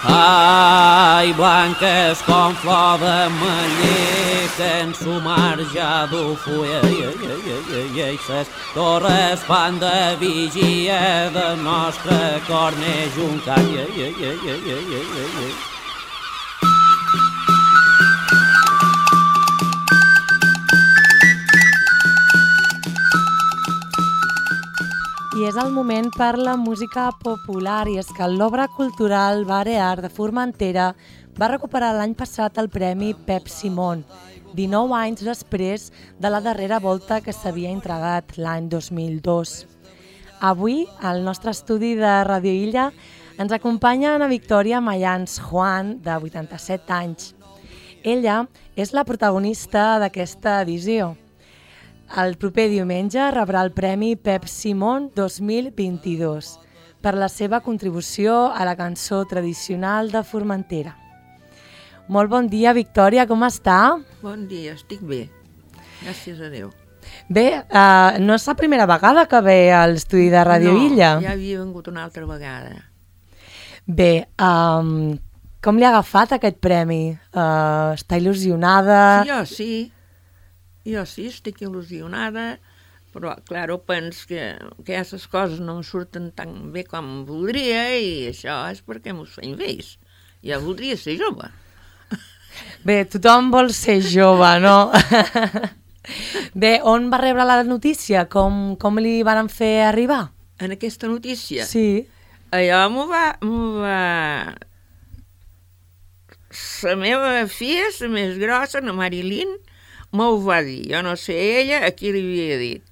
Ai, blanques com flor d'ametller que en su marge d'Ufulla i ses torres fan de vigia del nostre cor neix un cant. I és el moment per la música popular, i és que l'obra cultural Balear de Formentera va recuperar l'any passat el Premi Pep Simón, 19 anys després de la darrera volta que s'havia entregat l'any 2002. Avui, al nostre estudi de Radio Illa, ens acompanya Ana Victòria Mayans Juan, de 87 anys. Ella és la protagonista d'aquesta edició. El proper diumenge rebrà el Premi Pep Simón 2022 per la seva contribució a la cançó tradicional de Formentera. Molt bon dia, Victòria, com està? Bon dia, estic bé. Gràcies a Déu. Bé, no és la primera vegada que ve a l'estudi de Radio Illa? No, ja havia vengut una altra vegada. Bé, com li ha agafat aquest premi? Està il·lusionada? Jo sí, estic il·lusionada, però, clar, penso que aquestes coses no em surten tan bé com voldria i això és perquè m'ho feim vells. Jo voldria ser jove. Bé, tothom vol ser jove, no? Bé, on va rebre la notícia? Com li van fer arribar? En aquesta notícia? Sí. Allò m'ho va... La meva filla, la més grossa, la Marilyn, m'ho va dir. Jo no sé ella a qui li havia dit.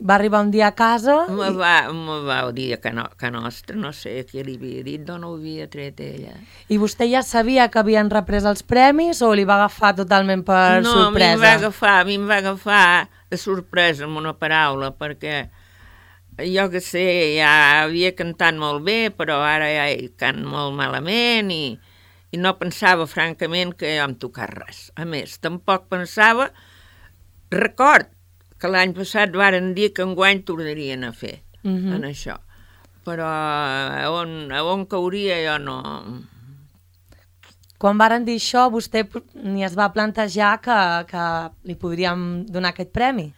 Va arribar un dia a casa? Me va dir que nostra, no sé a qui li havia dit, d'on ho havia tret ella. I vostè ja sabia que havien reprès els premis o li va agafar totalment per sorpresa? No, a mi em va agafar de sorpresa, amb una paraula, perquè jo que sé, ja havia cantat molt bé, però ara ja hi cant molt malament i no pensava, francament, que jo em tocar res. A més, tampoc pensava... Record que l'any passat varen dir que enguany tornarien a fer en això. Però on cauria jo no... Quan varen dir això, vostè ni es va plantejar que li podríem donar aquest premi?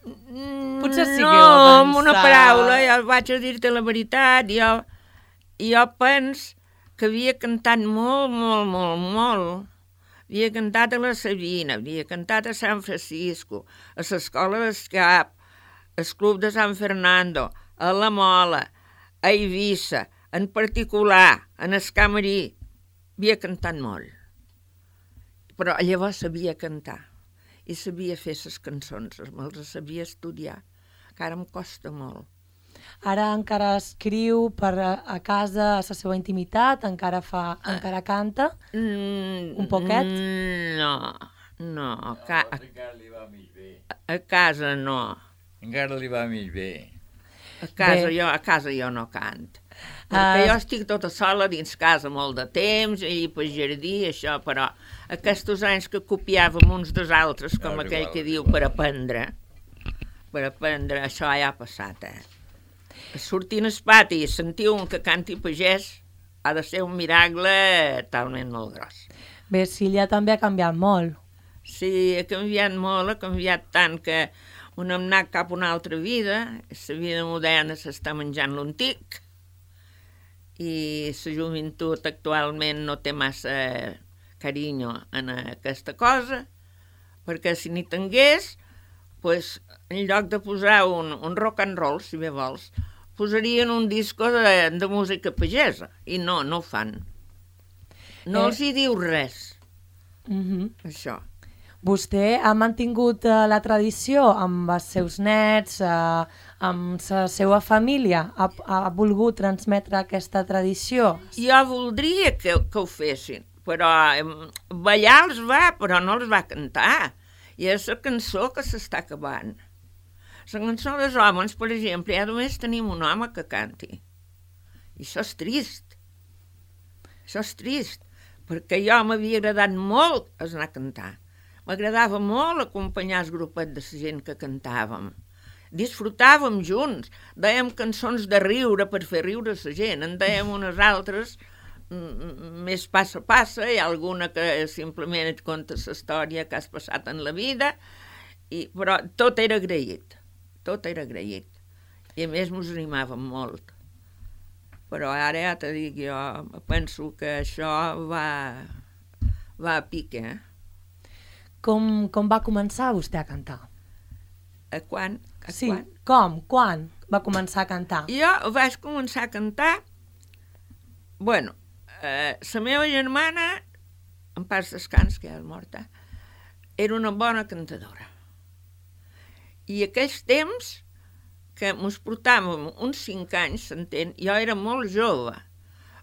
Potser sí que ho va pensar. No, amb una paraula, jo vaig a dir-te la veritat, jo penso que havia cantat molt. Havia cantat a la Sabina, havia cantat a Sant Francisco, a l'Escola d'Escap, al Club de San Fernando, a la Mola, a Eivissa, en particular, en Escamarí. Havia cantat molt. Però llavors sabia cantar i sabia fer les cançons, me'ls sabia estudiar, que ara em costa molt. Ara encara escriu a casa, a la seva intimitat? Encara canta? Un poquet? No. Encara li va mig bé. A casa no. Encara li va mig bé. A casa jo no canto. Perquè jo estic tota sola dins casa molt de temps, i pel jardí, això, però aquests anys que copiàvem uns dels altres, com aquell que diu, per aprendre, això ja ha passat, Sortint al pati i sentir un que canti pagès ha de ser un miracle talment molt gros. Bé, Silla també ha canviat molt. Sí, ha canviat molt, ha canviat tant que un hem anat cap a una altra vida, la vida moderna s'està menjant l'antic i la joventut actualment no té massa carinyo en aquesta cosa, perquè si n'hi tingués, pues, en lloc de posar un rock and roll, si bé vols, posarien un disco de música pagesa, i no ho fan. No els hi diu res, això. Vostè ha mantingut la tradició amb els seus nets, amb la seva família? Ha volgut transmetre aquesta tradició? Jo voldria que ho fessin, però ballar els va, però no els va cantar. I és la cançó que s'està acabant. La cançó dels homes, per exemple, ja només tenim un home que canti. I això és trist. Això és trist, perquè jo m'havia agradat molt anar a cantar. M'agradava molt acompanyar el grupet de la gent que cantàvem. disfrutàvem junts, dèiem cançons de riure per fer riure la gent, en dèiem unes altres més passa, hi ha alguna que simplement et conta la història que has passat en la vida, però tot era agraït, i a més mos animàvem molt. Però ara ja te dic, jo penso que això va a pique. Com va començar vostè a cantar? Quan? Quan va començar a cantar? Jo vaig començar a cantar, la meva germana, en pas descans, que ja és morta, era una bona cantadora. I aquells temps que mos portàvem uns 5 anys, s'entén, jo era molt jove,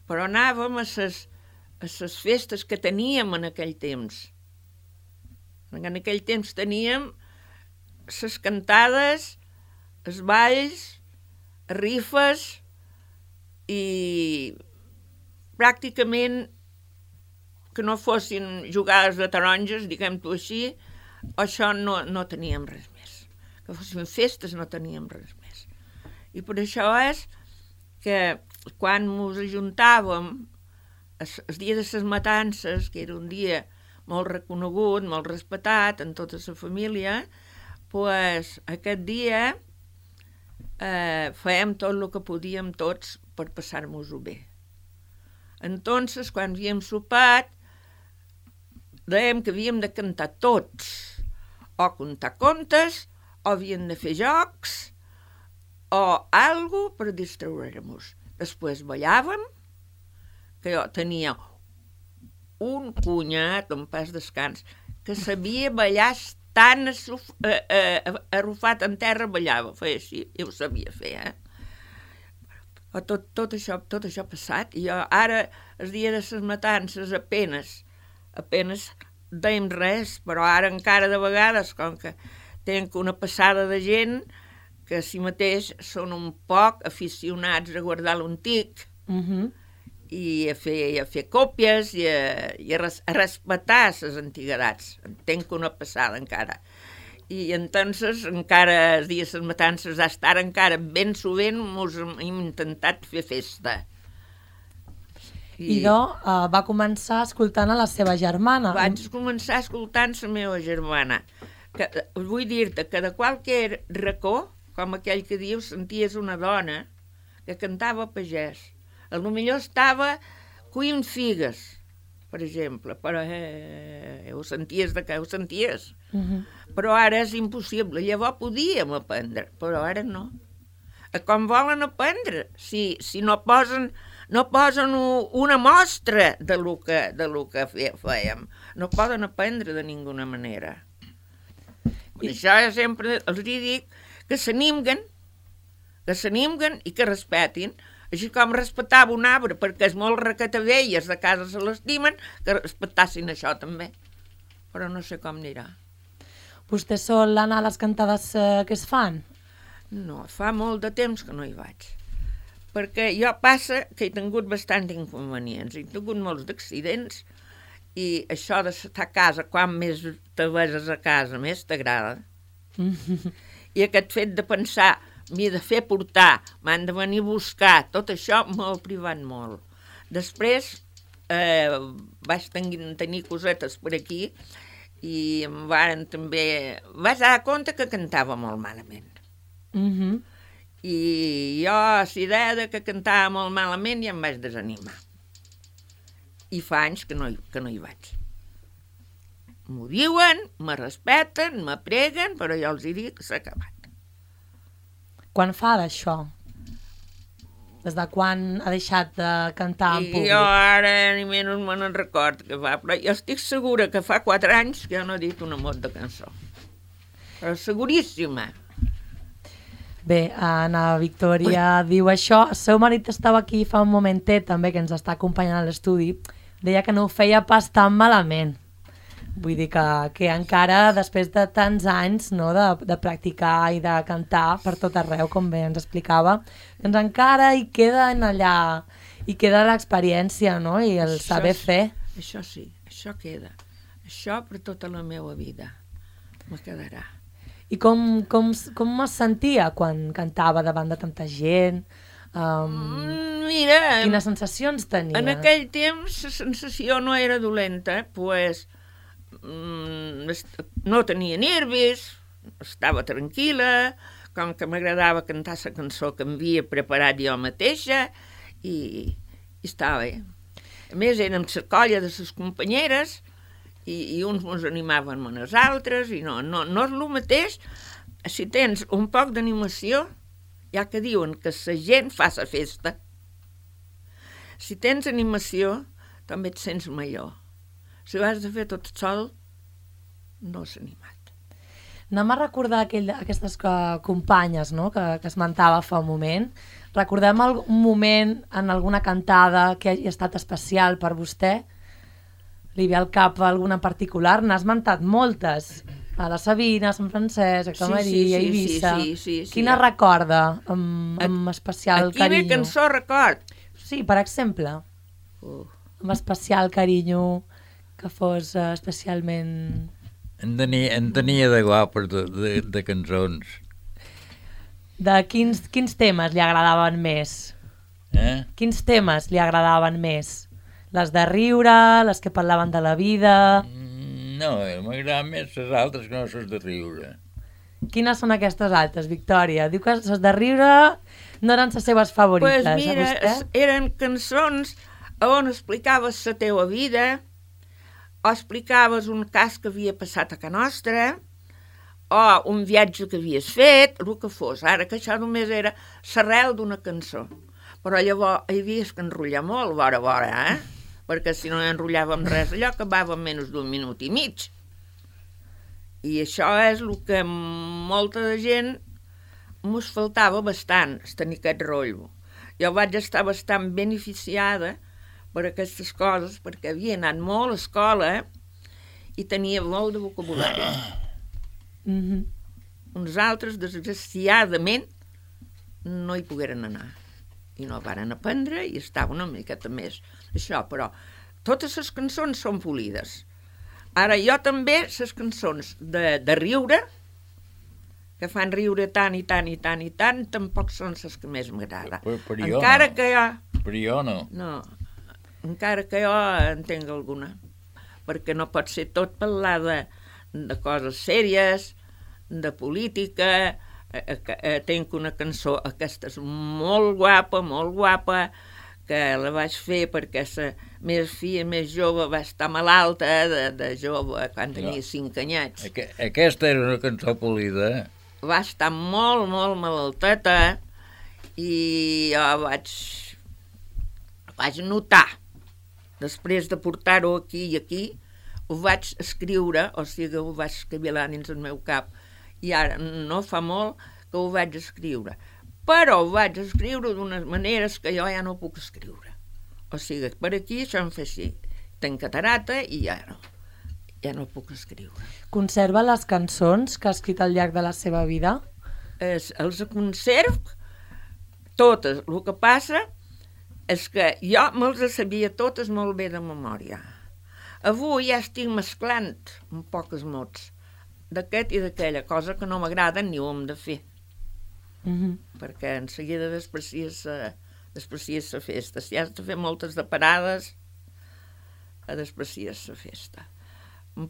però anàvem a les festes que teníem en aquell temps. En aquell temps teníem les cantades, els balls, rifes, i pràcticament que no fossin jugades de taronges, diguem-ho així, això no teníem res més. Que fossin festes no teníem res més. I per això és que quan ens ajuntàvem el dia de les matances, que era un dia molt reconegut, molt respectat en tota la família, doncs aquest dia fèiem tot el que podíem tots per passar-nos-ho bé. Entonces, quan havíem sopat, dèiem que havíem de cantar tots, o contar contes, o havíem de fer jocs, o alguna per distreure'ns. Després ballàvem, que jo tenia un cunyat, en pas descans, que sabia ballar tan arrufat en terra, ballava, feia així, i ho sabia fer, Tot això passat, i jo ara, el dia de les matances, apenes dèiem res, però ara encara de vegades, com que tenc una passada de gent que si mateix són un poc aficionats a guardar l'antic i a fer còpies i a respectar les antiguitats. Tenc una passada encara. I entonces encara els dies de les matances d'estar encara ben sovint hem intentat fer festa. I va començar escoltant a la seva germana. Vaig començar escoltant la meva germana. Vull dir-te que de qualsevol racó, com aquell que diu, senties una dona que cantava pagès. A lo millor estava cuint figues, per exemple, però ho senties de què ho senties. Però ara és impossible. Llavors podíem aprendre, però ara no. Com volen aprendre? Si no posen una mostra de lo que fèiem. No poden aprendre de ninguna manera. Per això sempre els dic que s'animguen i que respetin. Així com respectava un arbre, perquè és molt recatavelles de casa se l'estimen, que respectassin això també. Però no sé com anirà. Vostè sol anar a les cantades que es fan? No, fa molt de temps que no hi vaig. Perquè jo passa que he tingut bastants inconvenients, he tingut molts d'accidents, i això d'estar a casa, quan més te veses a casa, més t'agrada. I aquest fet de pensar, m'he de fer portar, m'han de venir a buscar, tot això m'ha privat molt. Després vaig tenir cosetes per aquí i em varen també... Vaig dar compte que cantava molt malament. I jo, a la idea que cantava molt malament, ja em vaig desanimar. I fa anys que no hi vaig. M'ho diuen, me respecten, me preguen, però jo els dic que s'ha acabat. Quan fa d'això? Des de quan ha deixat de cantar en públic? Jo ara ni menys me n'en record que fa, però jo estic segura que fa 4 anys que jo no he dit una mot de cançó. Però seguríssima. Bé, Anna Victòria diu això. El seu marit estava aquí fa un momentet també, que ens està acompanyant a l'estudi. Deia que no ho feia pas tan malament. Vull dir que encara, després de tants anys de practicar i de cantar per tot arreu, com bé ens explicava, doncs encara hi queda allà, hi queda l'experiència, no? I el saber fer. Això sí, això queda. Això per tota la meva vida me quedarà. I com es sentia quan cantava davant de tanta gent? Mira, Quines sensacions tenia? en aquell temps la sensació no era dolenta, pues, no tenia nervis, estava tranquil·la, com que m'agradava cantar la cançó que m'havia preparat jo mateixa, i estava bé. A més, érem la colla de les companyeres, i uns ens animaven a les altres, i no és el mateix. Si tens un poc d'animació, ja que diuen que la gent fa la festa. Si tens animació, també et sents millor. Si ho has de fer tot sol, no és animat. Anem a recordar aquestes companyes, no?, que esmentava fa un moment. Recordem un moment en alguna cantada que hagi estat especial per vostè? Li ve al cap alguna particular? N'ha esmentat moltes. A la Sabina, a Sant Francesc, a Camaria, a Eivissa. Sí. Quina recorda amb especial carinyo? Aquí ve cançó record. Sí, per exemple. Amb especial carinyo, que fos especialment... En tenia de guapes de cançons. De quins temes li agradaven més? Quins temes li agradaven més? Les de riure, les que parlaven de la vida... No, m'agraden més les altres que no les de riure. Quines són aquestes altres, Victòria? Diu que les de riure no eren les seves favorites, pues mira, a vostè? Eren cançons on explicaves la teua vida, o explicaves un cas que havia passat a casa nostra, o un viatge que havies fet, el que fos. Ara que això només era l'arrel d'una cançó. Però llavors hi havies que enrotllar molt, vora, perquè si no enrotllàvem res, allò acabava en menys d'un minut i mig. I això és el que molta de gent mos faltava bastant, tenir aquest rotllo. Jo vaig estar bastant beneficiada per aquestes coses, perquè havia anat molt a escola i tenia molt de vocabulari. Uns altres, desgraciadament, no hi pogueren anar. I no varen aprendre i estava una miqueta més això, però totes les cançons són polides. Ara, jo també, les cançons de riure, que fan riure tant i tant i tant i tant, tampoc són les que més m'agrada. Encara que jo... Per jo no. No, encara que jo entenc alguna, perquè no pot ser tot parlar de coses sèries, de política. Tenc una cançó, aquesta és molt guapa, que la vaig fer perquè la meva filla més jove va estar malalta de jove quan tenia 5 anyets. Aquesta era una cançó polida. Va estar molt malalteta i jo vaig notar, després de portar-ho aquí i aquí, ho vaig escriure, o sigui, ho vaig escriure dins el meu cap, i ara no fa molt que ho vaig escriure. Però ho vaig escriure d'unes maneres que jo ja no puc escriure. O sigui, per aquí això em fa així. Tenc catarata i ja no puc escriure. Conserva les cançons que ha escrit al llarg de la seva vida? Els conservo totes. El que passa és que jo me'ls sabia totes molt bé de memòria. Avui ja estic mesclant un pocs mots d'aquest i d'aquella, cosa que no m'agrada ni ho hem de fer. Perquè en seguida desprecies la festa. Si has de fer moltes de parades, desprecies la festa.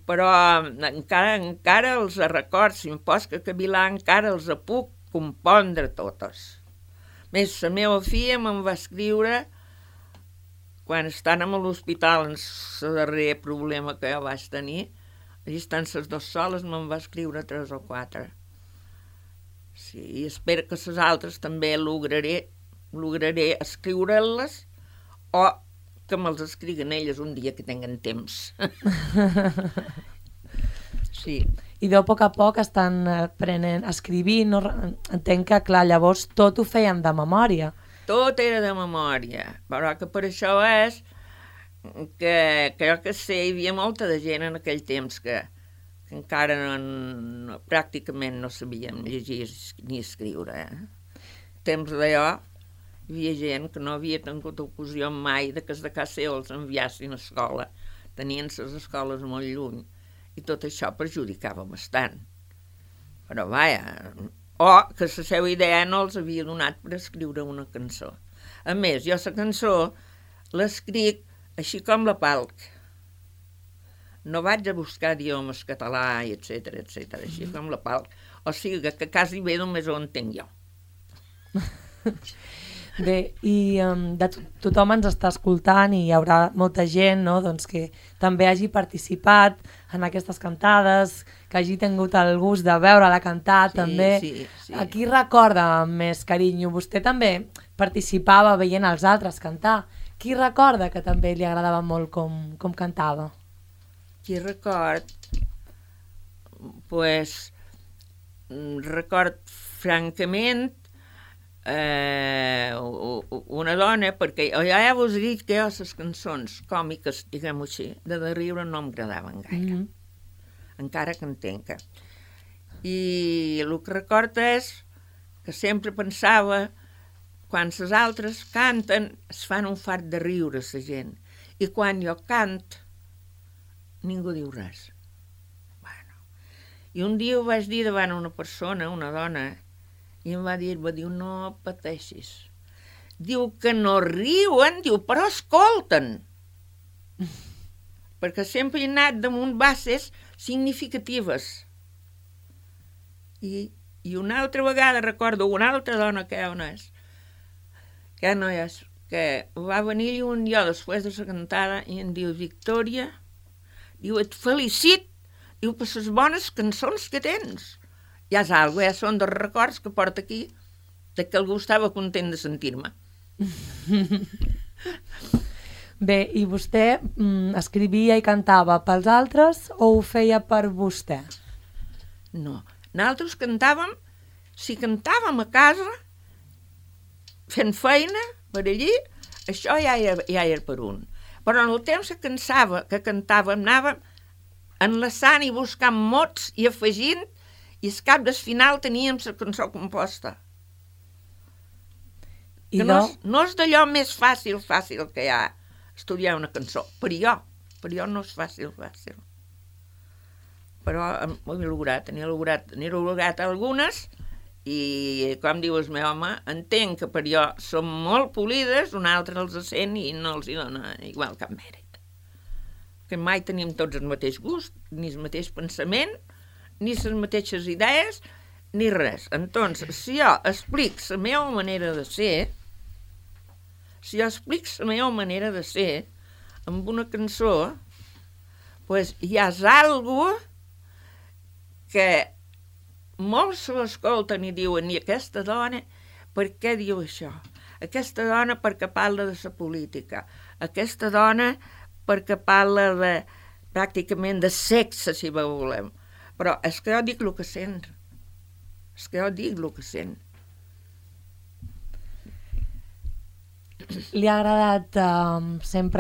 Però encara els records, si em pots que cavilar, encara els puc compondre totes. Més, la meva filla me'n va escriure quan estan a l'hospital, en el darrer problema que jo vaig tenir, allà estan les 2 soles, me'n va escriure 3 o 4. Sí, i espero que les altres també lograré escriure-les o que me'ls escriguen elles un dia que tinguen temps. Sí. I de poc a poc estan aprenent, escrivint, no? Entenc que, clar, llavors tot ho feien de memòria. Tot era de memòria, però que per això és que crec que sé, hi havia molta de gent en aquell temps que encara pràcticament no sabíem llegir ni escriure. Temps d'allò hi havia gent que no havia tingut ocasió mai de que de casa seva els enviassin a escola. Tenien les escoles molt lluny i tot això perjudicava bastant. Però vaja, o que la seva idea no els havia donat per escriure una cançó. A més, jo la cançó l'escric així com la palc. No vaig a buscar idiomes català, etc, així com la palc. O sigui que quasi bé només ho entenc jo. Bé, i tothom ens està escoltant i hi haurà molta gent, no?, doncs, que també hagi participat en aquestes cantades, que hagi tingut el gust de veure-la cantar, també. Sí. A qui recorda amb més carinyo? Vostè també participava veient els altres cantar. Qui recorda que també li agradava molt com cantava? Qui record? Pues, record francament una dona, perquè ja vos he dit que jo les cançons còmiques, diguem-ho així, de riure no m'agradaven gaire. Encara que entenc. I el que recordo és que sempre pensava, quan les altres canten, es fan un fart de riure, la gent. I quan jo cant, ningú diu res. Bueno. I un dia ho vaig dir davant una persona, una dona, i em va dir, no pateixis. Diu que no riuen, diu, però escolten. Perquè sempre he anat damunt bases significatives. I una altra vegada recordo una altra dona que no és, que va venir un dia després de la cantada i em diu, Victòria, diu, et felicit, diu, per les bones cançons que tens. Ja és algo, són dos records que porta aquí, de que algú estava content de sentir-me. Bé, i vostè escrivia i cantava pels altres o ho feia per vostè? No, nosaltres cantàvem, si cantàvem a casa, fent feina per allí, això ja era per un. Però en el temps que cantàvem, anàvem enlaçant i buscant mots i afegint, i al cap del final teníem la cançó composta. Que no és d'allò més fàcil que hi ha estudiar una cançó. Per jo no és fàcil. Però ho he lograt, n'he lograt algunes, i com diu el meu home, entenc que per jo són molt polides, un altre els sent i no els hi dona igual cap mèrit. Que mai tenim tots el mateix gust, ni el mateix pensament, ni les mateixes idees, ni res. Entonces, si jo explic la meva manera de ser, amb una cançó, pues ja és algo que molts se l'escolten i diuen, i aquesta dona, per què diu això? Aquesta dona perquè parla de la política. Aquesta dona perquè parla pràcticament de sexe, si volem. Però és que jo dic el que sent. Sempre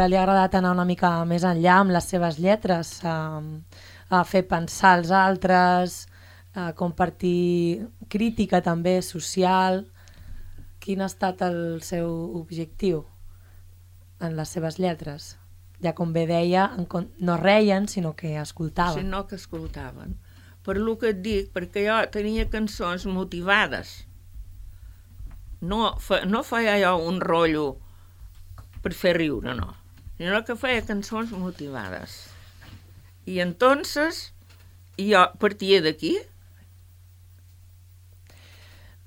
li ha agradat anar una mica més enllà amb les seves lletres, a fer pensar els altres, a compartir crítica també social. Quin ha estat el seu objectiu en les seves lletres? Ja com bé deia, no reien, sinó que escoltaven. Sinó que escoltaven. Per el que et dic, perquè jo tenia cançons motivades. No feia jo un rotllo per fer riure, no. Sinó que feia cançons motivades. I entonces jo partia d'aquí.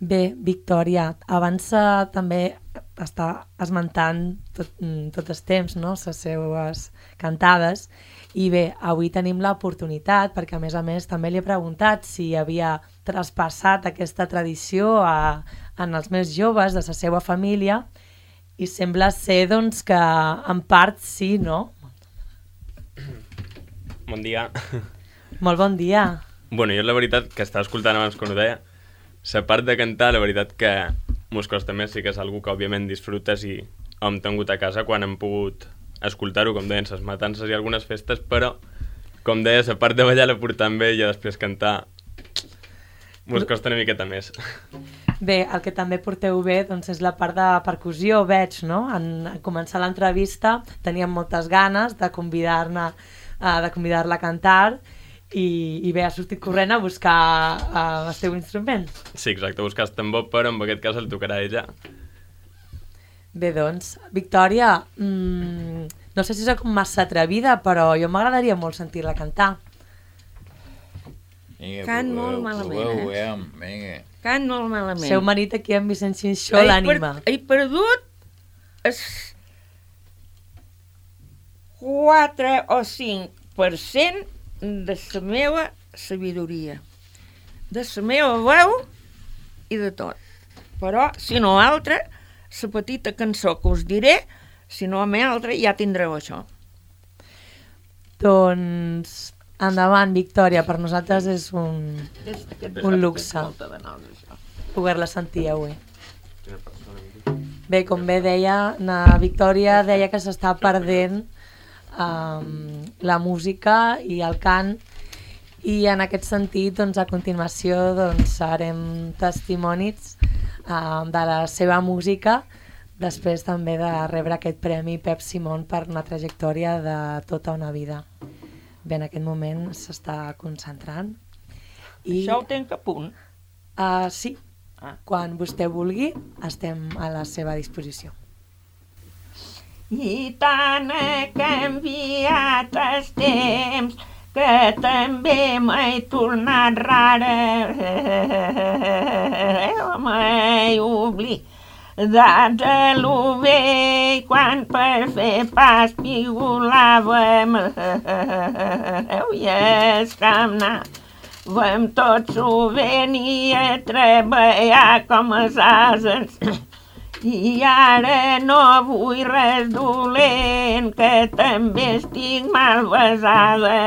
Bé, Victòria, abans també està esmentant tot el temps, no?, les seues cantades, i bé, avui tenim l'oportunitat, perquè a més també li he preguntat si havia traspassat aquesta tradició en els més joves de la seva família, i sembla ser doncs que en part sí, no? Bon dia. Molt bon dia. Bueno, jo la veritat que estava escoltant abans quan ho deia, la part de cantar, la veritat que mos costa més, sí que és algo que òbviament disfrutes i hem tingut a casa quan hem pogut escoltar-ho, com deien, les matances i algunes festes, però, com deia, la part de ballar la portant bé i després cantar mos costa una miqueta més. Bé, el que també porteu bé doncs, és la part de percussió, veig, no? En començar l'entrevista teníem moltes ganes de convidar-la a cantar i bé, has sortit corrent a buscar el teu instrument. Sí, exacte, buscar el tambor, però en aquest cas el tocarà ella. Bé, doncs, Victòria, no sé si soc massa atrevida, però jo m'agradaria molt sentir-la cantar. Vinga, Cant proveu, molt malament, proveu, vinga. Cant molt malament. Seu marit aquí en Vicent Xinxó l'ànima. He perdut el 4 o 5% de la meva sabidoria, de la meva veu i de tot. Però, si no altra, la petita cançó que us diré, si no a mi altra, ja tindreu això. Doncs, endavant, Victòria, per nosaltres és un luxe poder-la sentir avui. Bé, com bé deia, na Victòria deia que s'està perdent la música i el cant, i en aquest sentit, doncs, a continuació, doncs, serem testimonis de la seva música, després també de rebre aquest premi Pep Simón per una trajectòria de tota una vida. Bé, en aquest moment s'està concentrant. Això ho tenc a punt. Sí, quan vostè vulgui, estem a la seva disposició. I tant he canviat els temps que també m'he tornat rara. M'he oblidat de lo vell quan per fer pas pigolàvem. I és que anàvem tots sovint i a treballar com els ases. I ara no vull res dolent, que també estic malvesada.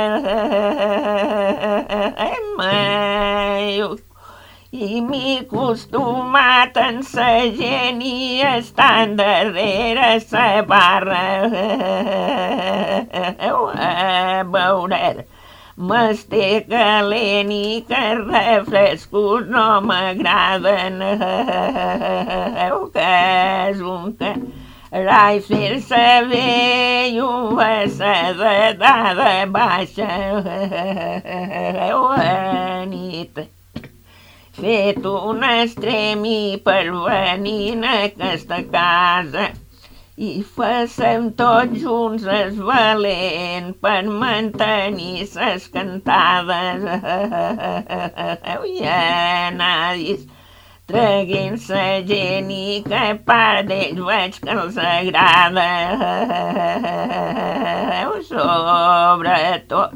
I m'he acostumat en sa gent i estant darrere sa barra. Veureu, m'esté calent i que refrescos no m'agraden. Que és un carai fer-se bé i un vessada de baixa. Nit fet un extremi per venir a aquesta casa i facem tots junts es valent per mantenir ses cantades. I anar traguint sa gent i que part d'ells veig que els agrada. Sobretot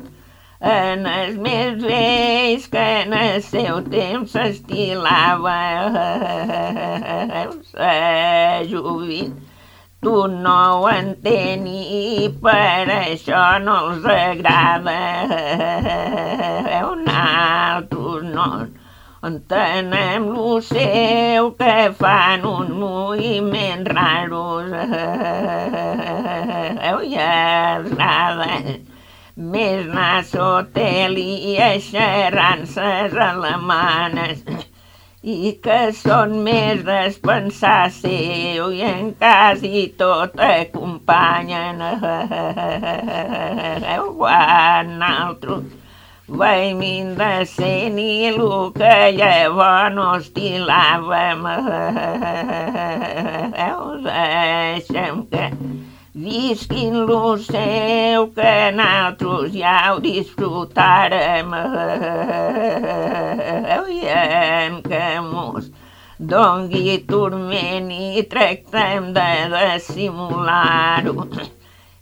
en els més vells que en el seu temps s'estilava. Sa joventut no ho entén i per això no els agrada. Nosaltres no entenem lo seu, que fan uns moviments raros. I agrada més anar sotel i eixerrances alemanes i que són més despensar seu i en quasi tot acompanyen. Quan nosaltres veiem indecent i el que llavors no estilàvem. Deixem que visquin lo seu, que nosaltres ja ho disfrutarem. En que mos dongui turment i tractem de dissimular-ho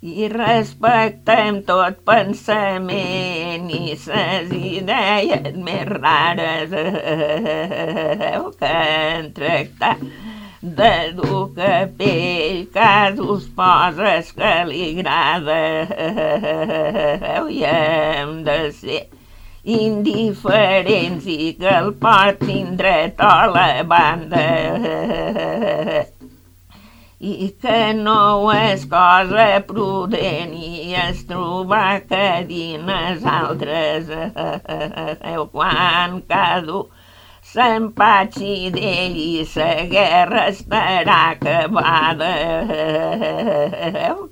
i respectem tot pensament i ses idees més rares. Que en tractar de dur capell, casos poses que li agrada. I hem de ser indiferents i que el portin dret a la banda. I que no és cosa prudent i es trobar que dines altres. Quan cada s'empatxi d'ell i sa guerra estarà acabada.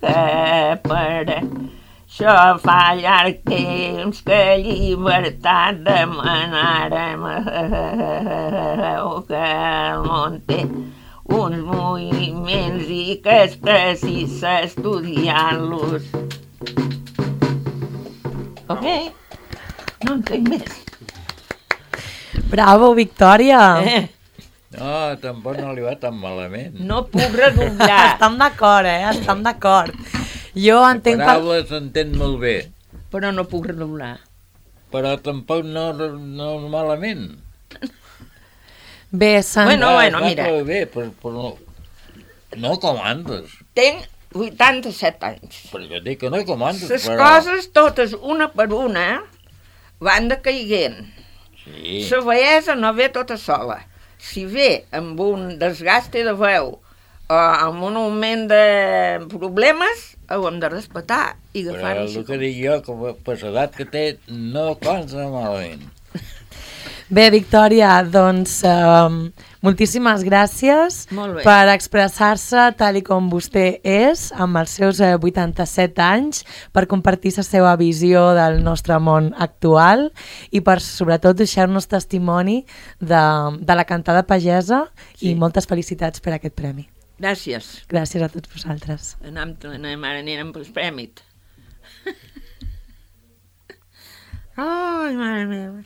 Que per Això fa llarg temps que llibertat demanàrem, que el món té uns moviments i que és precisa estudiar-los. Ok? No entenc més. Bravo, Victòria! No, tampoc no li va tan malament. No puc redoblar. Estem d'acord, Estem d'acord. Jo entenc... Paraules s'entén molt bé, Però no puc redoblar. però tampoc no malament. Bé, Bueno, Va mira. prou bé, però no com antes. Tenc 87 anys. Però jo dic que no com antes, Les però... coses totes, una per una, van decaiguent. Sí, La bellesa no ve tota sola. Si ve amb un desgaste de veu o amb un augment de problemes, ho hem de respectar i però agafar-ho el així. que dic jo, que per l'edat que té, no consta malament. Bé, Victòria, doncs moltíssimes gràcies Molt bé. per expressar-se tal i com vostè és, amb els seus 87 anys, per compartir la seva visió del nostre món actual i per, sobretot, deixar-nos testimoni de la cantada pagesa i moltes felicitats per aquest premi. Gràcies. Gràcies a tots vosaltres. Anem ara anirem pel prèmit. Ai, mare meva.